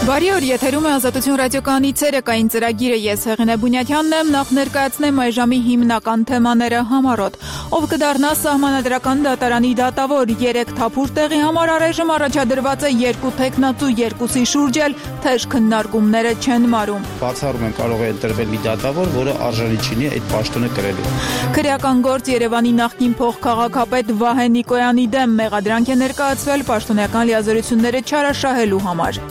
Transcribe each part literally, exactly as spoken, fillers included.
Բարի օր, եթերում է Ազատություն ռադիոկայանի ցերեկային ծրագիրը, ես Հեղինե Բունյաթյանն եմ, նախ ներկայացնեմ այժմի հիմնական թեմաները համառոտ։ Ով կդառնա սահմանադրական դատարանի դատավոր, երեք թափուր տեղի համար առայժմ առաջադրված է երկու թեկնածու, երկուսի շուրջ էլ թեժ քննարկումները չեն մարում։ Բացառում են կարող է ընտրվել մի դատավոր, որը արժանի չունի այդ պաշտոնը կրելու։ Քրեական գործ Երևանի նախկին փոխքաղաքապետ Վահե Նիկոյանի դեմ մեղադրանք է ներկայացվել պաշտոնական լիազորությունները չարաշահելու համար։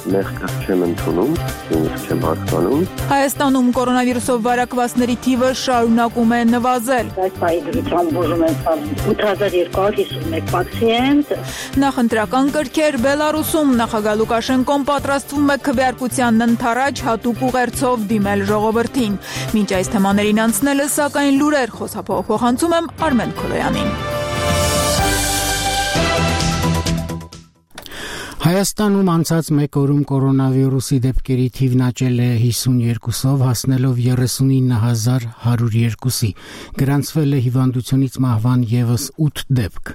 Չեմ ընդունում, չեմ հասկանում։ Հայաստանում կորոնավիրուսով վարակվածների թիվը շարունակում է նվազել։ Այս պահի դրությամբ բուժում են ութ հազար երկու հարյուր հիսունմեկ պացիենտ։ Նախընտրական կրքեր Բելարուսում նախագահ Լուկաշենկոն պատրաստվում է քվեարկությանն ընդառաջ հատուկ ուղերձով դիմել ժողովրդին։ Մինչ այս թեմաներին անցնելը, սակայն լուրեր խոսափող փոխանցում եմ Արմեն Քոլոյանին։ Հայաստանում անցած մեկ օրում կորոնավիրուսի դեպքերի թիվն աճել է հիսունյոթով, հասնելով երեսունինը հազար հարյուր երկուսի, գրանցվել է հիվանդությունից մահվան ևս ութ դեպք։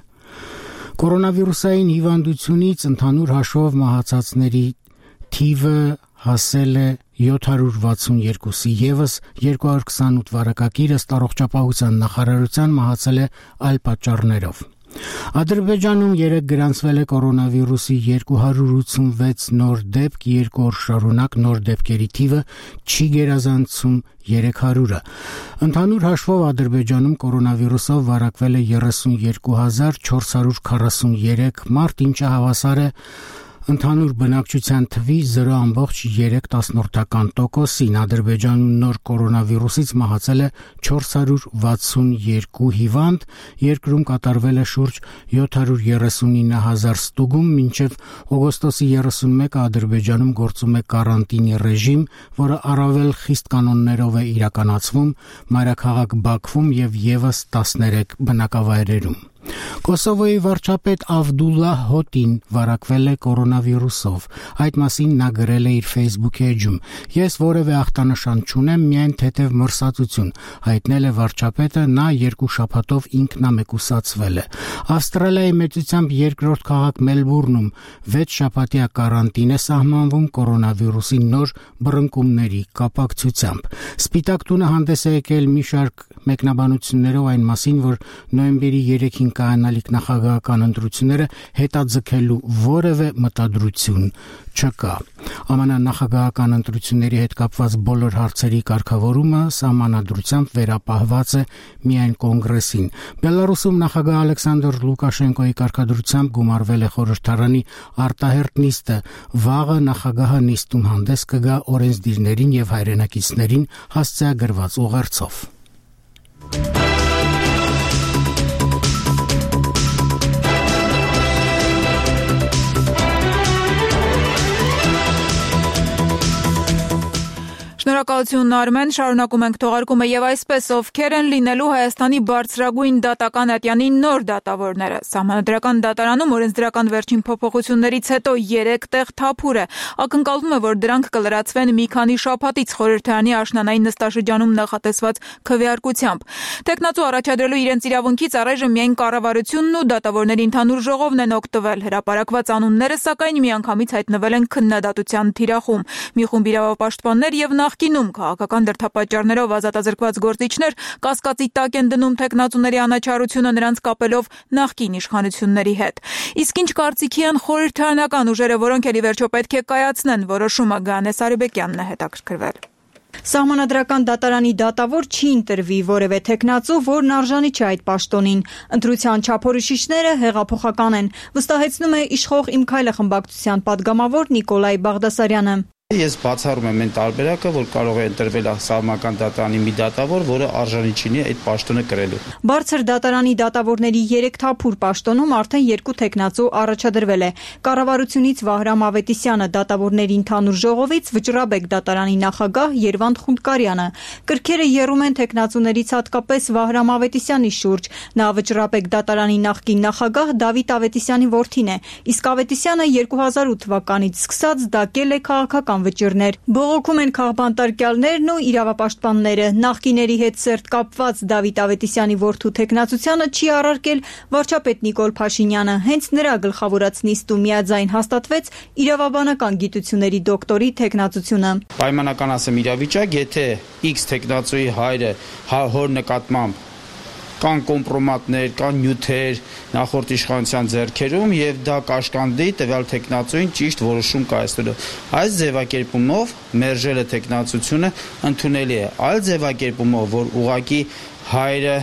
Կորոնավիրուսային հիվանդությունից ընդհանուր հաշվով մահացածների թիվը հասել է յոթ հարյուր վաթսունյոթի, ևս երկու հարյուր քսանութ վարակագիր ըստ առողջապահության նախարարության մահացել է այլ պատճառներով։ Ադրբեջանում երեկ գրանցվել է կորոնավիրուսի երկու հարյուր ութսունվեց նոր դեպք, երկու օր շարունակ նոր դեպքերի թիվը չի գերազանցում երեք հարյուրը։ Ընդհանուր հաշվով Ադրբեջանում կորոնավիրուսով վարակվել է երեսունյոթ հազար չորս հարյուր քառասունյոթ մարդ, ինչը հավասար է ընդհանուր բնակչության թվի զրո ամբողջ երեք տոկոսին։ Ադրբեջանում նոր կորոնավիրուսից մահացել է չորս հարյուր վաթսունյոթ հիվանդ, երկրում կատարվել է շուրջ յոթ հարյուր երեսունինը հազար ստուգում, մինչև օգոստոսի երեսունմեկը Ադրբեջանում գործում է կարանտինի ռեժիմ, որը առավել խիստ կանոններով է իրականացվում մայրաքաղաք Բաքվում եւ ևս տասներեք բնակավայրերում։ Կոսովոյի վարչապետ Ավդուլլահ Հոտին վարակվել է կորոնավիրուսով։ Այդ մասին նա գրել է իր Facebook էջում. «Ես որևէ ախտանշան չունեմ, միայն թեթև մրսածություն», հայտնել է վարչապետը, նա երկու շաբաթով ինքնամեկուսացվել է։ Ավստրալիայի մեծությամբ երկրորդ քաղաք Մելբուրնում վեց շաբաթյա կարանտին է սահմանվում կորոնավիրուսի նոր բռնկումների կապակցությամբ։ Սպիտակ տունը հանդես է եկել մի շարք մեկնաբանություններով այն մասին, որ նոյեմբերի երեքին կայանալիք նախագահական ընտրությունները հետաձգելու որևէ մտադրություն չկա։ ԱՄՆ նախագահական ընտրությունների հետ կապված բոլոր հարցերի կարգավորումը սահմանադրությամբ վերապահված է միայն կոնգրեսին։ Բելարուսում նախագահ Ալեքսանդր Լուկաշենկոյի կարգադրությամբ գումարվել է խորհրդարանի արտահերթ նիստը։ Վաղը նախագահը նիստում հանդես կգա օրենսդիրներին եւ հայրենակիցներին հասցեագրված ուղերձով։ Շնորհակալություն Արմեն, շարունակում ենք թողարկումը եւ այսպես ովքեր են լինելու Հայաստանի բարձրագույն դատական ատյանի նոր դատավորները։ Սահմանադրական դատարանում օրենսդրական վերջին փոփոխություններից հետո երեք տեղ թափուր է։ Ակնկալվում է, որ դրանք կլրացվեն մի քանի շաբաթից խորհրդարանի աշնանային նստաշրջանում նախատեսված քվեարկությամբ։ Տեխնացու առաջադրելու իրենց իրավունքից առայժմ միայն կառավարությունն ու դատավորների ընդհանուր ժողովն են օգտվել։ Հրապարակված անունները սակայն միանգամից հայտնվել են քննադատության թիրախում։ Մի խումբ իրավապաշտպաններ եւ նախկինում քաղաքական դրդապատճառներով ազատազրկված գործիչներ կասկածի տակ են դնում տեխնացուների անաչառությունը նրանց կապելով նախկին իշխանությունների հետ։ Իսկ ինչ կարծիքի են խորհրդարանական ուժերը, որոնք էլի վերջո պետք է կայացնեն որոշումը, Գանե Սարիբեկյանն է հետաքրքրվել։ Սահմանադրական դատարանի դատավոր չի ընտրվի որևէ տեխնացու, որն արժանի չէ այդ պաշտոնին։ Ընտրության չափորոշիչները հեղափոխական են, վստահեցնում է իշխող Իմ քայլը խմբակցության падգամավոր Նիկոլայ Բաղդասարյանը։ Ես բացառում եմ այն տարբերակը, որ կարող է ընտրվել սահմանադրական դատարանի մի դատավոր, որը արժանի չունի այդ պաշտոնը կրելու։ Բարձր դատարանի դատավորների երեք թափուր պաշտոնում արդեն երկու տեխնացու առաջադրվել է։ Կառավարությունից Վահրամ Ավետիսյանը, դատավորների ընդհանուր ժողովից Վճռաբեկ դատարանի նախագահ Երվանդ Խունդկարյանը։ Կրքերը եռում են տեխնացուներից հատկապես Վահրամ Ավետիսյանի շուրջ։ Նա Վճռաբեկ դատարանի նախկին նախագահ Դավիթ Ավետիսյանի որդին է, իսկ Ավետիսյանը երկու հազար ութ թվականից սկսած դակել է քաղաքական վճիռներ։ Բողոքում են քաղբանտարկյալներն ու իրավապաշտպանները։ Նախկիների հետ սերտ կապված Դավիթ Ավետիսյանի որդու թեկնածությանը չի առարկել վարչապետ Նիկոլ Փաշինյանը։ Հենց նրա գլխավորած նիստում միաձայն հաստատվեց իրավաբանական գիտությունների դոկտորի թեկնածությունը։ Պայմանական ասեմ իրավիճակ, եթե X թեկնածուի հայրը հոր նկատմամբ կան կոմպրոմատներ, կան նյութեր նախորդ իշխանության ձեռքերում եւ դա կաշկանդի տվյալ թեկնածուին ճիշտ որոշում կայացնելու։ Այս ձևակերպումով մերժելը թեկնածությունը ընդունելի է։ Այլ ձևակերպումով, որ ուղղակի հայրը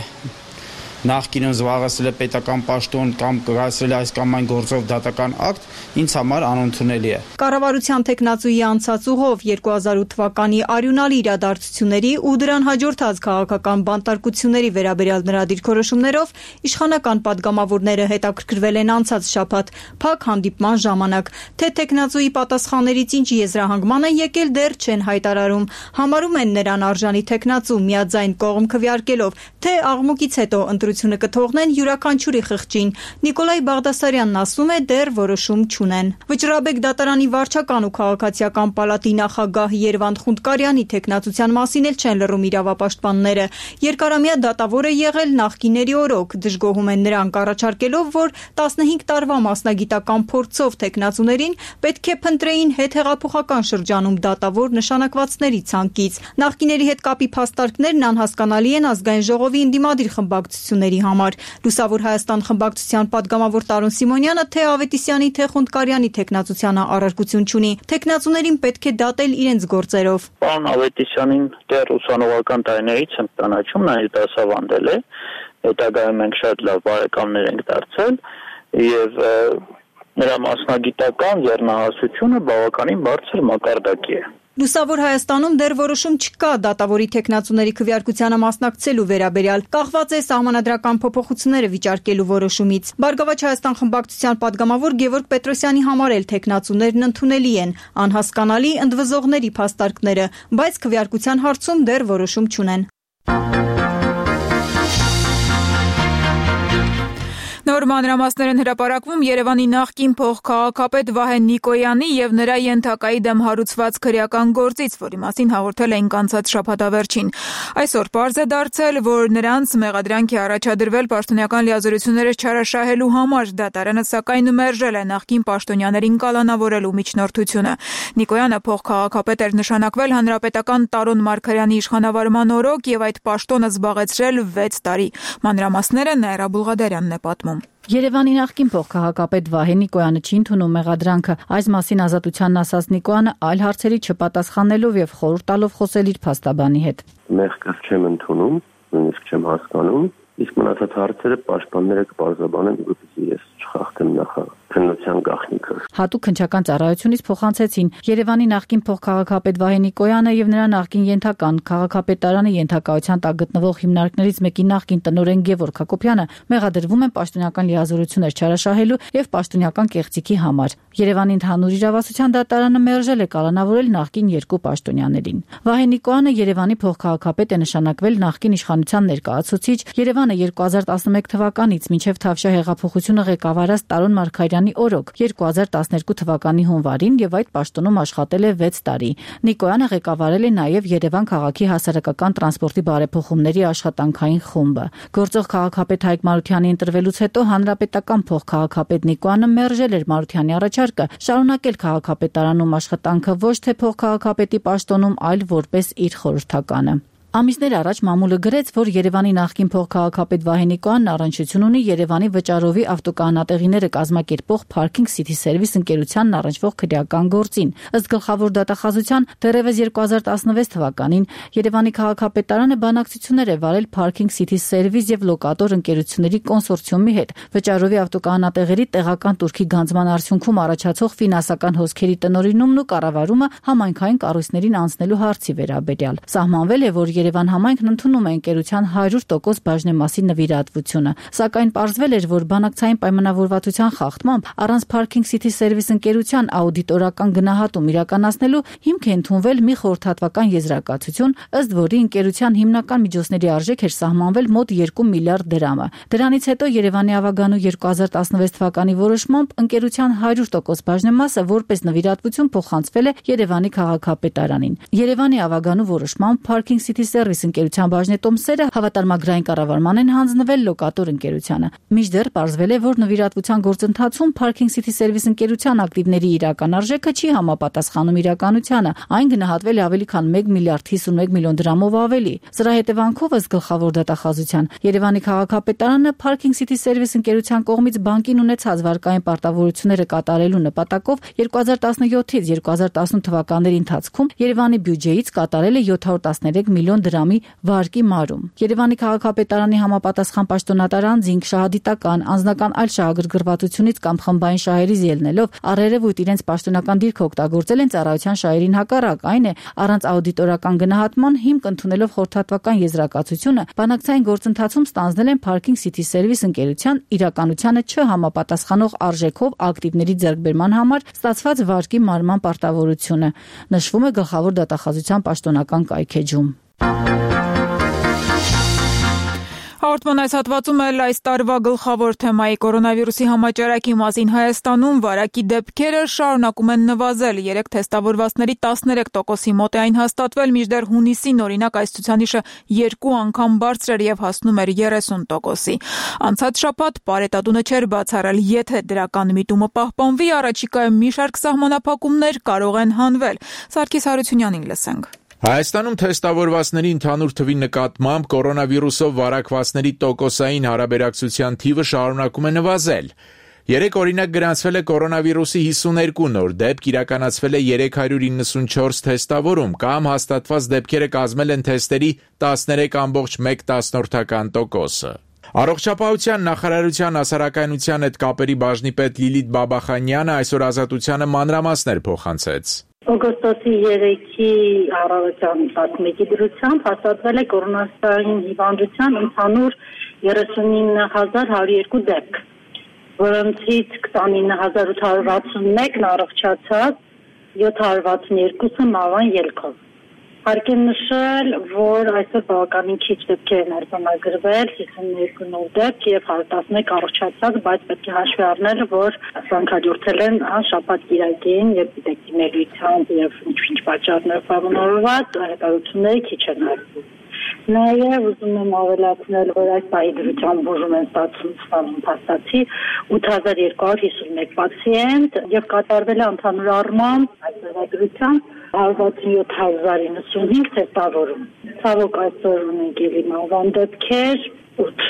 նախկինում զբաղեցրել է պետական պաշտոն կամ կայացրել է այս կամ այն գործով դատական ակտ, ինձ համար անընդունելի է։ Կառավարության թեկնածուի անցած ուղով երկու հազար ութ թվականի արյունալի իրադարձությունների ու դրան հաջորդած քաղաքական բանտարկությունների վերաբերյալ նրա դիրքորոշումներով իշխանական падգամավորները հետաքրքրվել են անցած շաբաթ փակ հանդիպման ժամանակ, թե թեկնածուի պատասխաններից ինչ եզրահանգման են եկել դեռ չեն հայտարարում։ Համարում են նրան արժանի թեկնածու միաձայն կողմ քվեարկելով, թե աղմուկից հետո ընտրությունը կթողնեն յուրաքանչյուրի խղճին։ Նիկոլայ Բաղդասարյանն ասում է դեռ որոշում չունեն։ Վճռաբեկ դատարանի վարչական ու քաղաքացիական պալատի նախագահ Երվանդ Խունդկարյանի թեկնածության մասին էլ չեն լռում իրավապաշտպանները։ Երկարամյա դատավոր է եղել նախկիների օրոք, դժգոհում են նրանք առաջարկելով, որ տասնհինգ տարվա մասնագիտական փորձով թեկնածուներին պետք է փնտրեին հետհեղափոխական շրջանում դատավոր նշանակվածների ցանկից։ Նախկիների հետ կապի փաստարկներն անհասկանալի են ազգային ժողովի ընդդիմադիր խմբակցությունների համար։ Լուսավոր Հայաստան խմբակցության падգամավոր Տարոն Սիմոնյանը թե Ավետիսյանի, թե Խունդկարյանի թեկնածությանը առարկություն չունի։ Թեկնածուներին պետք է դատել իրենց գործերով։ Պարոն Ավետիսյանին դեռ ուսանողական տարիներից եմ ճանաչում, նա դասավանդել է, հետագայում մենք շատ լավ բարեկամներ ենք դարձել եւ նրա մասնագիտական ձեռնահասությունը բավականին բարձր մակարդակի է։ Լուսավոր Հայաստանում դեռ որոշում չկա դատավորի թեկնածուների քվեարկությանը մասնակցելու վերաբերյալ, կախված է սահմանադրական փոփոխությունները վիճարկելու որոշումից։ Բարգավաճ Հայաստան խմբակցության падգամավոր Գևորգ Պետրոսյանի համար էլ թեկնածուներն ընդունելի են, անհասկանալի ընդվզողների փաստարկները, բայց քվեարկության հարցում դեռ որոշում չունեն։ Նոր մանրամասներ են հրապարակվում Երևանի նախկին փոխքաղաքապետ Վահե Նիկոյանի եւ նրա ենթակայի դեմ հարուցված քրեական գործից, որի մասին հաղորդել էինք անցած շաբաթավերջին։ Այսօր պարզ է դարձել, որ նրանց մեղադրանք է առաջադրվել պաշտոնական լիազորությունները չարաշահելու համար։ Դատարանը սակայն մերժել է նախկին պաշտոնյաներին կալանավորելու միջնորդությունը։ Նիկոյանը փոխքաղաքապետ էր նշանակվել հանրապետական Տարոն Մարգարյանի իշխանավարման օրոք եւ այդ պաշտոնը զբաղեցրել վեց տարի։ Մանրամասները Նաիրա Բուլղադարյանն է պատմում։ Երևանի նախկին փոխքաղաքապետ Վահե Նիկոյանը չի ընդունում մեղադրանքը։ Այս մասին Ազատությանն ասաց Նիկոյանը այլ հարցերի չպատասխանելով եւ խորհուրդ տալով խոսել իր փաստաբանի հետ։ Մեղքը չեմ ընդունում, նույնիսկ չեմ հասկանում, իսկ մնացած հարցերը պաշտպանները կբարձրաբանեն, որպեսզի ես չխախտեմ նախաքննության գաղտնիքը։ Հատուկ քննչական ծառայությունից փոխանցեցին Երևանի նախկին փոխքաղաքապետ Վահե Նիկոյանը եւ նրա նախկին ենթական քաղաքապետարանի ենթակայության տակ գտնվող հիմնարկներից մեկի նախկին տնօրեն Գևորգ Հակոբյանը մեղադրվում են պաշտոնական լիազորություններ չարաշահելու եւ պաշտոնական կեղծիքի համար։ Երևանի ընդհանուր իրավասության դատարանը մերժել է կալանավորել նախկին երկու պաշտոնյաներին։ Վահե Նիկոյանը Երևանի փոխքաղաքապետ է նշանակվել նախկին իշխանության ներկայացուցիչ Երևանը երկու հազար տասնմեկ թվականից մինչև Թավշյա հեղափոխությունը ղեկավարած Տարոն Մարգարյանի օրոք երկու հազար տասներկու թվականի հունվարին եւ այդ պաշտոնում աշխատել է վեց տարի։ Նիկոյանը ղեկավարել է նաեւ Երևան քաղաքի հասարակական տրանսպորտի բարեփոխումների աշխատանքային խումբը։ Գործող քաղաքապետ Հայկ Մարությանի ընտրվելուց հետո հանրապետական փոխքաղաքապետ Նիկոյանը մերժել էր Մարությանի առաջարկը շարունակել քաղաքապետարանում աշխատանքը ոչ թե փոխքաղաքապետի պաշտոնում, այլ որպես իր խորհրդականը։ Ամիսներ առաջ մամուլը գրեց, որ Երևանի նախկին փոխքաղաքապետ Վահե Նիկոյանն առնչություն ունի Երևանի վճարովի ավտոկանատեղիները կազմակերպող Parking City Service ընկերությանն առնչվող քրեական գործին։ Ըստ գլխավոր դատախազության դեռևս երկու հազար տասնվեց թվականին Երևանի քաղաքապետարանը բանակցություններ է վարել Parking City Service եւ լոկատոր ընկերությունների կոնսորցիումի հետ վճարովի ավտոկանատեղերի տեղական турքի գանձման արդյունքում առաջացող ֆինանսական հոսքերի տնօրինումն ու կառավարումը համայնքային կառույցներին անցնելու հարցի վերաբերյալ։ Սահմանվել է, որ Երևան համայնքն ընդունում է ընկերության հարյուր տոկոս բաժնեմասի նվիրատվությունը, սակայն պարզվել էր, որ բանակցային պայմանավորվածության խախտմամբ առանց Parking City Service ընկերության աուդիտորական գնահատում իրականացնելու հիմք է ընդունվել մի խորհրդատվական եզրակացություն, ըստ որի ընկերության հիմնական միջոցների արժեք էր սահմանվել մոտ երկու միլիարդ դրամը։ Դրանից հետո Երևանի ավագանու երկու հազար տասնվեց թվականի որոշմամբ ընկերության հարյուր տոկոս բաժնեմասը որպես նվիրատվություն փոխանցվել է Երևանի քաղաքապետարանին։ Երևանի ավագանու որոշմամբ Parking City Service ընկերության բաժնետոմսերը հավատարմագրային կառավարման են հանձնվել լոկատոր ընկերությանը։ Մինչդեռ պարզվել է, որ նվիրատվության գործընթացում Parking City Service ընկերության ակտիվների իրական արժեքը չի համապատասխանում իրականությանը։ Այն գնահատվել է ավելի քան մեկ միլիարդ հիսունմեկ միլիոն դրամով ավելի։ Սրա հետևանքով ըստ գլխավոր դատախազության Երևանի քաղաքապետարանը Parking City Service ընկերության կողմից բանկին ունեցած վարկային պարտավորությունները կատարելու նպատակով երկու հազար տասնյոթից երկու հազար տասնութ թվականների ընթացքում Երևանի բյուջեից կատարել է յոթ հարյուր տասներեք միլիոն դրամի վարկի մարում։ Երևանի քաղաքապետարանի համապատասխան պաշտոնատար անձինք շահադիտական, անձնական այլ շահագրգռվածությունից կամ խմբային շահերից ելնելով առերևույթ իրենց պաշտոնական դիրքը օգտագործել են ծառայության շահերին հակառակ, այն է առանց աուդիտորական գնահատման հիմք ընդունելով խորհրդատվական եզրակացությունը բանակցային գործընթացում ստանձնել են Parking City Service ընկերության իրականությանը չհամապատասխանող արժեքով ակտիվների ձեռքբերման համար ստացված վարկի մարման պարտավորությունը, նշվում է գլխավոր դատախազության պաշտոնական կայքեջում։ Հաղորդման այս հատվածում էլ այս տարվա գլխավոր թեմայի կորոնավիրուսի համաճարակի մասին Հայաստանում վարակի դեպքերը շարունակում են նվազել։ Երեք թեստավորվածների տասներեք տոկոսի մոտ է այն հաստատվել, մինչդեռ հունիսին օրինակ այս ցուցանիշը երկու անգամ բարձր էր եւ հասնում էր երեսուն տոկոսի։ Անցած շաբաթ Պարետատունը չէր բացառել, եթե դրական միտումը պահպանվի, առաջիկայում մի շարք սահմանափակումներ կարող են հանվել։ Սարգիս Հարությունյանին լսենք։ Հայաստանում թեստավորվածների ընդհանուր թվի նկատմամբ կորոնավիրուսով վարակվածների տոկոսային հարաբերակցության թիվը շարունակում է նվազել։ Երեք օրինակ գրանցվել է կորոնավիրուսի հիսուներկու նոր դեպք, իրականացվել է երեք հարյուր իննսունչորս թեստավորում, կամ հաստատված դեպքերը կազմել են թեստերի տասներեք կόμma մեկ տոկոսը։ Առողջապահության նախարարության հասարակայնության հետ կապերի բաժնի պետ Լիլիթ Բաբախանյանը այսօր Ազատությանը մանրամասներ փոխանցեց։ Օգոստոսի երեքի առավոտյան տասնմեկի դրությամբ հաստատվել է կորոնավիրուսային հիվանդության ընդհանուր երեսունինը հազար հարյուր երկու դեպք, որոնցից քսանինը հազար ութ հարյուր վաթսունմեկն առողջացած, յոթ հարյուր վաթսունյոթը մահվան ելքով։ Հարկ է նշել, որ այսօր բավականին քիչ դեպքեր են արձանագրվել, հիսուններկու նոր դեպք եւ հարյուր տասնմեկ առողջացած, բայց պետք է հաշվի առնել, որ սրանք հաջորդել են շաբաթ կիրակին եւ դիտեկտիվներությամբ եւ ինչ-ինչ պատճառներով բավարարված հետազոտությունները քիչ են արվում։ Նաեւ ուզում եմ ավելացնել, որ այս պահի դրությամբ բուժում են ստացվում փաստացի ութ հազար երկու հարյուր հիսունմեկ պացիենտ եւ կատարվել է ընդհանուր առմամբ այս դրությամբ հարյուր վաթսունյոթ հազար իննսունհինգ թեստավորում։ Ցավոք այսօր ունենք ելի մահվան դեպքեր, ութ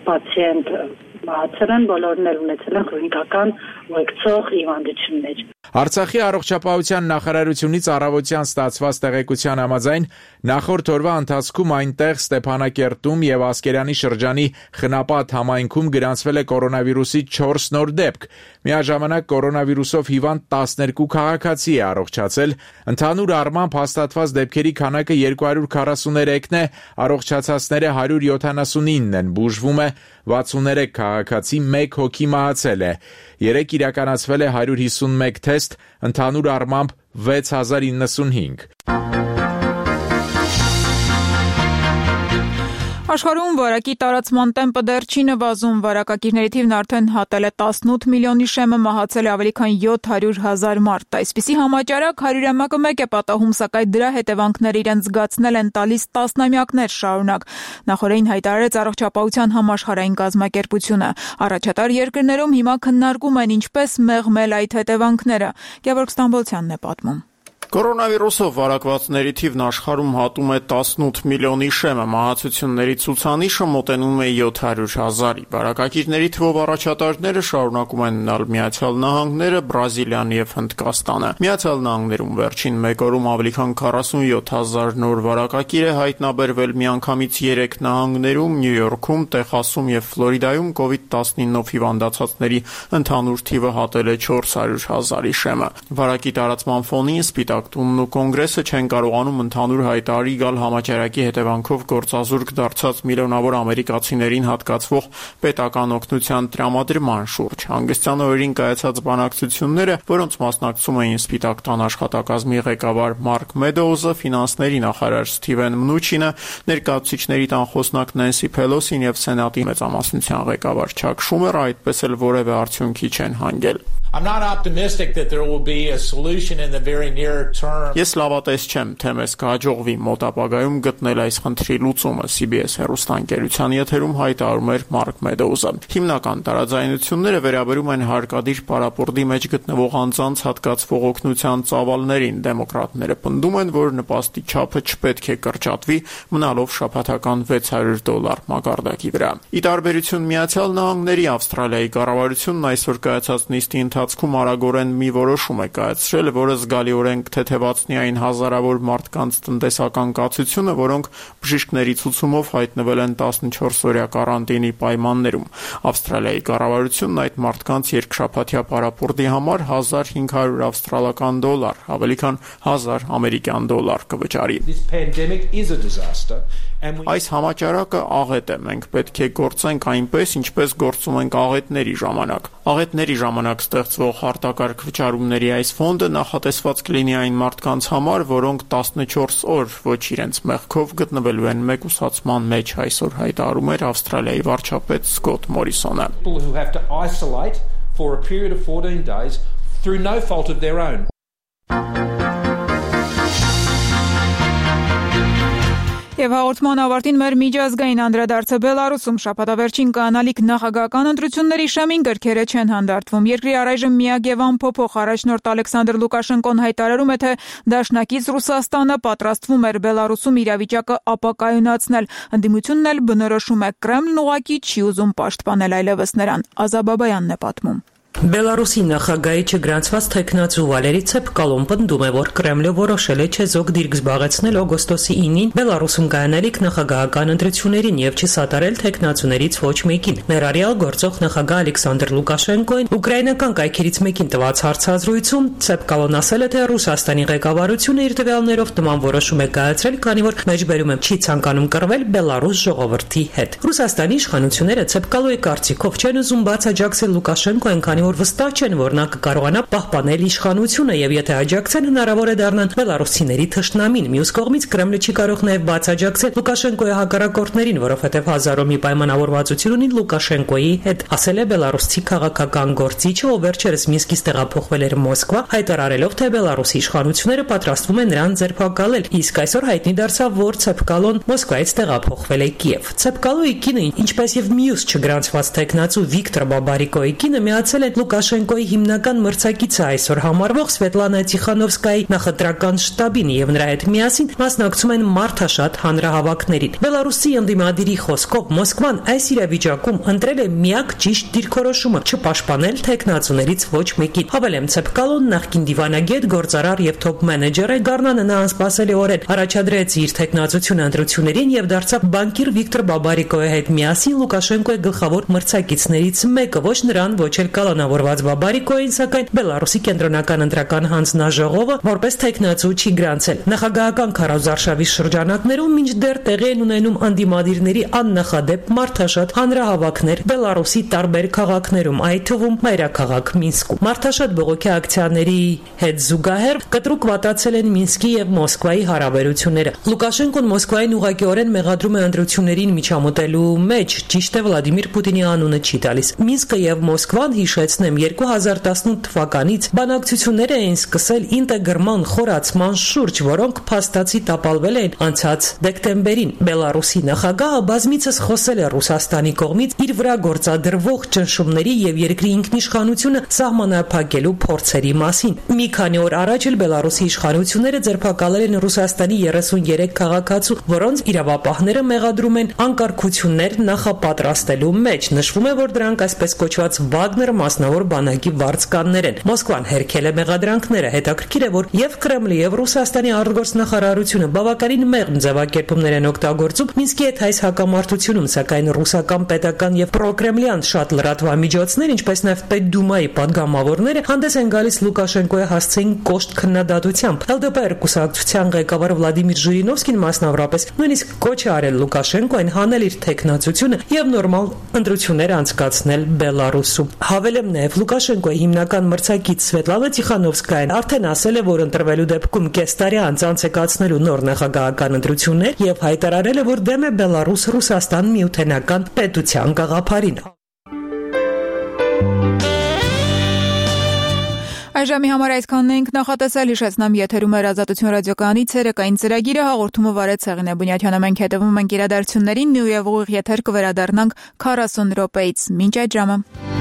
պացիենտ մահացել են, բոլորն էլ ունեցել են քրոնիկական ուղեկցող հիվանդություններ։ Արցախի առողջապահության նախարարությունից առավոտյան ստացված տեղեկության համաձայն նախորդ օրվա ընթացքում այնտեղ Ստեփանակերտում եւ Ասկերանի շրջանի Խնապատ համայնքում գրանցվել է կորոնավիրուսի չորս նոր դեպք։ Միաժամանակ կորոնավիրուսով հիվանդ տասներկու քաղաքացի է առողջացել։ Ընդհանուր առմամբ հաստատված դեպքերի քանակը երկու հարյուր քառասուներեքն է, առողջացածները հարյուր յոթանասունինն են, բուժվում է վաթսուներեք քաղաքացի, մեկ հոգի մահացել է։ Երեք իրականացվել է հարյուր հիսունմեկ թեստ, ընդհանուր առմամբ վեց հազար իննսունհինգ։ Աշխարհում վարակի տարածման տեմպը դեռ չի նվազում, վարակակիրների թիվն արդեն հատել է տասնութ միլիոնի շեմը, մահացել է ավելի քան յոթ հարյուր հազար մարդ։ Այսպիսի համաճարակ հարյուրամյակը մեկ է պատահում, սակայն դրա հետևանքները իրենց զգացնել են տալիս տասնամյակներ շարունակ։ Նախորդին հայտարարեց առողջապահության համաշխարհային կազմակերպությունը։ Առաջատար երկրներում հիմա քննարկում են ինչպես մեղմել այդ հետևանքները։ Գևորգ Ստամբոլցյանն է պատմում։ Կորոնավիրուսով վարակվածների թիվն աշխարհում հատում է տասնութ միլիոնի շեմը, մահացությունների ցուցանիշը մոտենում է յոթ հարյուր հազարի։ Վարակակիրների թվով առաջատարները շարունակում են մնալ Միացյալ Նահանգները, Բրազիլիան եւ Հնդկաստանը։ Միացյալ Նահանգներում վերջին մեկ օրում ավելի քան քառասունյոթ հազար նոր վարակակիր է հայտնաբերվել, միանգամից երեք նահանգներում՝ Նյու Յորքում, Տեխասում եւ Ֆլորիդայում կովիդ տասնինով հիվանդացածների ընդհանուր թիվը հատել է չորս հարյուր հազարի շեմը։ Վարակի տարածման ֆոնին Սպիտակ Գագթունն ու կոնգրեսը չեն կարողանում ընդհանուր հայտարարի գալ համաճարակի հետևանքով գործազուրկ դարձած միլիոնավոր ամերիկացիներին հատկացվող պետական օգնության տրամադրման շուրջ։ Հանգստյան օրերին կայացած բանակցությունները, որոնց մասնակցում էին Սպիտակ տան աշխատակազմի ղեկավար Մարկ Մեդոուզը, ֆինանսների նախարար Սթիվեն Մնուչինը, ներկայացուցիչների տան խոսնակ Նենսի Փելոսին եւ Սենատի մեծամասնության ղեկավար Չակ Շումերը այդպես էլ որևէ արդյունքի չեն հանգել։ I'm not optimistic that there will be a solution in the very near term. Ես լավատես չեմ, թե մեզ կհաջողվի մոտ ապագայում գտնել այս խնդրի լուծումը, C B S հեռուստաընկերության եթերում հայտարարում էր Մարկ Մեդոուզը։ Հիմնական տարաձայնությունները վերաբերում են հարկադիր պարապորտի մեջ գտնվող անձանց հատկացվող օգնության ծավալներին։ Դեմոկրատները պնդում են, որ նպաստի չափը չպետք է կրճատվի, մնալով շաբաթական վեց հարյուր դոլար մակարդակի վրա։ Ի տարբերություն Միացյալ Նահանգների, Ավստրալիայի կառավարությունն այսօր կայացած նիստի ընթացքում արագորեն մի որոշում է կայացրել, որը զգալիորեն կթեթևացնի այն հազարավոր մարդկանց տնտեսական կացությունը, որոնք բժիշկների ցուցումով հայտնվել են տասնչորս օրյա կարանտինի պայմաններում։ Ավստրալիայի կառավարությունն այդ մարդկանց երկշաբաթյա պարապորտի համար հազար հինգ հարյուր ավստրալական դոլար, ավելի քան հազար ամերիկյան դոլար կվճարի։ Այս համաճարակը աղետ է, մենք պետք է գործենք այնպես, ինչպես գործում ենք աղետների ժամանակ։ Աղետների ժամանակ ստեղծվող հարտակարգ վճարումների այս ֆոնդը նախատեսված կլինի այն մարդկանց համար, որոնք տասնչորս օր ոչ իրենց մեղքով գտնվելու են մեկուսացման մեջ, այսօր հայտարարում էր Ավստրալիայի վարչապետ Սկոտ Մորիսոնը։ Եվ հաղորդման ավարտին մեր միջազգային անդրադարձը Բելարուսում շաբաթավերջին կանալիք նախագահական ընտրությունների շեմին գրքերը չեն հանդարտվում։ Երկրի առայժմ միակ եւ անփոփոխ առաջնորդ Ալեքսանդր Լուկաշենկոն հայտարարում է, թե դաշնակից Ռուսաստանը պատրաստվում էր Բելարուսում իրավիճակը ապակայունացնել։ Ընդդիմությունն էլ բնորոշում է Կրեմլն ուղղակի չի ուզում պաշտպանել այլևս նրան։ Ազաբաբայանն է պատմում։ Բելարուսի նախագահի չգրանցված թեկնածու Վալերի Ցեպկալոն պնդում է, որ Կրեմլը որոշել է չեզոք դիրք զբաղեցնել օգոստոսի ինին Բելարուսում կայանալիք նախագահական ընտրություններին եւ չսատարել թեկնածուներից ոչ մեկին։ Ներառյալ գործող նախագահ Ալեքսանդր Լուկաշենկոին ուկրաինական կայքերից մեկին տված հարցազրույցում Ցեպկալոն ասել է, թե Ռուսաստանի ղեկավարությունը իր տվյալներով նման որոշում է կայացրել, քանի որ մեջբերում է չի ցանկանում կռվել Բելարուս ժողովրդի հետ։ Ռուսաստանի իշխանությունները Ցեպկալոյի կարծիքով չեն ուզում բաց աջակցել Լուկաշենկոին, քանի որ վստահ չեն, որ նա կկարողանա պահպանել իշխանությունը եւ եթե աջակցեն, հնարավոր է դառնան բելարուսիների թշնամին։ Մյուս կողմից Կրեմլը չի կարող նաեւ բաց աջակցել Լուկաշենկոյի հակառակորդներին, որովհետեւ հազարով մի պայմանավորվածություն ունի Լուկաշենկոյի հետ, ասել է բելարուսցի քաղաքական գործիչը, ով վերջերս Մինսկից տեղափոխվել էր Մոսկվա, հայտարարելով, թե Բելարուսի իշխանությունները պատրաստվում են նրան ձերբակալել։ Իսկ այսօր հայտնի դարձավ, որ Ցեպկալոն Մոսկվայից տեղափոխվել է Կիև։ Ցեպկալոյի կինը, ինչպես եւ մյուս չգրանցված տեխնացու Վիկտոր Բաբարիկոյի կինը միացել են Լուկաշենկոյի հիմնական մրցակիցը այսօր համարվող Սվետլանա Տիխանովսկայի նախընտրական շտաբին եւ նրա հետ միասին մասնակցում են մարդաշատ հանրահավաքներին։ Բելարուսի ընդդիմադիրի խոսքով Մոսկվան այս իրավիճակում ընտրել է միակ ճիշտ դիրքորոշումը՝ չպաշտպանել տեխնացուներից ոչ մեկին։ Հավելեմ, Ցեպկալոն նախկին դիվանագետ, գործարար եւ թոփ մենեջեր է, Գառնանը նա անսպասելի օրեր առաջադրեց իր տեխնացությունը ընտրություններին եւ դարձավ բանկիր Վիկտոր Բաբարիկոյի հետ միասին Լուկաշենկոյի գլխավոր մրցակիցներից մեկը, ոչ նրան, ոչ էլ կալանավորված Բաբարիկոյին, սակայն Բելարուսի կենտրոնական ընտրական հանձնաժողովը որպես տեխնացու չի գրանցել։ Նախագահական քարոզարշավի շրջանակներում մինչդեռ տեղի են ունենում անդիմադիրների աննախադեպ մարդաշատ հանրահավաքներ Բելարուսի տարբեր քաղաքներում, այդ թվում մայրաքաղաք Մինսկում։ Մարդաշատ բողոքի ակցիաների հետ զուգահեռ կտրուկ վատացել են Մինսկի եւ Մոսկվայի հարաբերությունները։ Լուկաշենկոն Մոսկվային ուղղակիորեն մեղադրում է ընտրություններին միջամտելու մեջ, ճիշտ է Վլադիմիր Պուտինի անունը չի տալիս։ Մինսկը եւ Մոսկվան, հիշեցնեմ, երկու հազար տասնութ թվականից բանակցություններ էին սկսել ինտեգրման խորացման շուրջ, որոնք փաստացի տապալվել են անցած դեկտեմբերին։ Բելարուսի նախագահը բազմիցս խոսել է Ռուսաստանի կողմից իր վրա գործադրվող ճնշումների եւ երկրի ինքնիշխանությունը սահմանափակելու փորձերի մասին։ Մի քանի օր առաջ էլ Բելարուսի իշխանությունները ձերբակալել են Ռուսաստանի երեսունյերեք քաղաքացու, որոնց իրավապահները մեղադրում են անկարգություններ նախապատրաստելու մեջ։ Նշվում է, որ դրանք այսպես կոչված Վագներ մասնավոր բանակի վարձկաններ են։ Մոսկվան հերքել է մեղադրանքները։ Հետաքրքիր է, որ եւ Կրեմլի եւ Ռուսաստանի արտգործնախարարությունը բավականին մեղմ ձևակերպումներ են օգտագործում Մինսկի հետ այս հակամարտությունում, սակայն ռուսական պետական եւ պրոկրեմլյան շատ լրատվամիջոցներ, ինչպես նաեւ Պետդումայի падգամավորները հանդես են գալիս Լուկաշենկոյի հասցեին կոշտ քննադատությամբ։ Էլ Դե Պե կուսակցության ղեկավար Վլադիմիր Ժիրինովսկին մասնավորապես նույնիսկ կոչ է արել Լուկաշենկոին հանել իր թեկնածությունը եւ նորմալ ընտրություններ անցկացնել Բելարուսում։ Հավելեմ նաեւ Լուկաշենկոյի հիմնական մրցակից Սվետլանա Տիխանովսկայան արդեն ասել է, որ ընտրվելու դեպքում կես տարի անց անցկացնելու նոր նախագահական ընտրություններ եւ հայտարարել է, որ դեմ է Բելարուս-Ռուսաստան միութենական պետության գաղափարին։ Այժմի համար այսքանն ենք նախատեսել, հիշեցնեմ եթերում էր Ազատություն ռադիոկայանի ցերեկային ծրագիրը, հաղորդումը վարեց Սեղինե Բունյաթյանը, մենք հետևում ենք իրադարձություններին ու եւ ուղիղ եթեր կվերադառնանք քառասուն րոպեից։ Մինչ այդ ժամը։